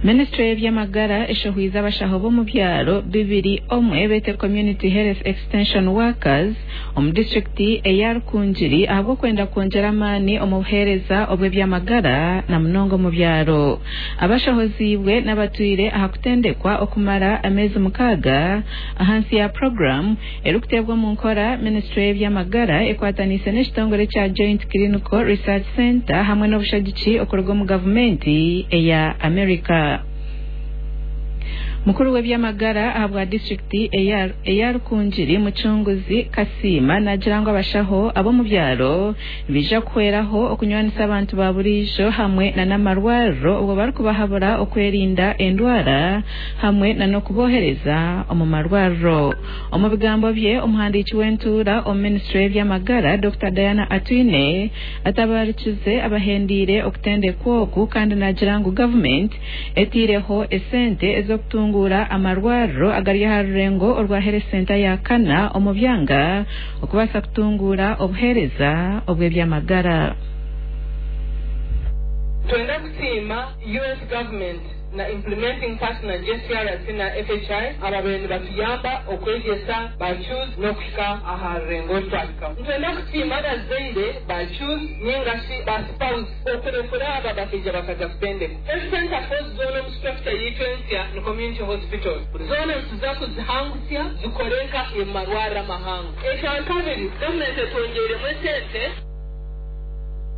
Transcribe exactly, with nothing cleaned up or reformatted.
Minisitule y'ebyamagara eshohwize abashaho b'omu byaro bibiri omwe bete Community Health Extension Workers omu disitulikiti eya Rukungiri ahabw'okwenda kwongyera amaani omu buheereza obw'ebyamagara na munonga omu byaro. Abashohoziibwe n'abatwire aha kutendekwa okumara ameezi mukaaga ahansi ya puroguramu erikuteebwa omu nkora minisitule y'ebyamagara ekwataniise n'ekitongore kya Joint Clinical Research Centre hamwe n'obushagiki okuruga omu gavumenti eya America. Mukuru w'ebyamagara ahabwa disitulikiti eya Rukungiri, Mucunguzi Kasiima, naagira ngu abashaho ab'omu byaro nibaija kuhweraho okunywanisa abantu ba buriijo hamwe n'amarwariro obwo barikubahabura okwerinda endwara hamwe n'okubohereza omu marwariro. Omu bigambo bye, omuhandiiki w'entuura omu minisitule y'ebyamagara, Dokita Diana Atwine, atabarikize abahendiire okutendekwa oku kandi naagira ngu gavumenti etaireho esente ez'okutunguura amarwariro agari aha rurengo orwa Health Center ya kana omu byanga okubaasa kutunguura obuheereza obw'ebyamagara. Twenda kusiima U S government na implementing partner J C R C na F H I ababaire nibatuyamba okwegyesa ba C H Os n'okuhika aha rurengo oru twahikaho. Nitwenda kusiima abazaire ba C H Os ningashi ba spouse okurekura aba bakaija bakaza kutendeka. Health center four zoona omu structure yaitu ensya ni community hospitals, zoona nituza kuzihangusya zikore nka emarwariro amahango. Ekya kabiri, gavumenti etwongeiremu esente.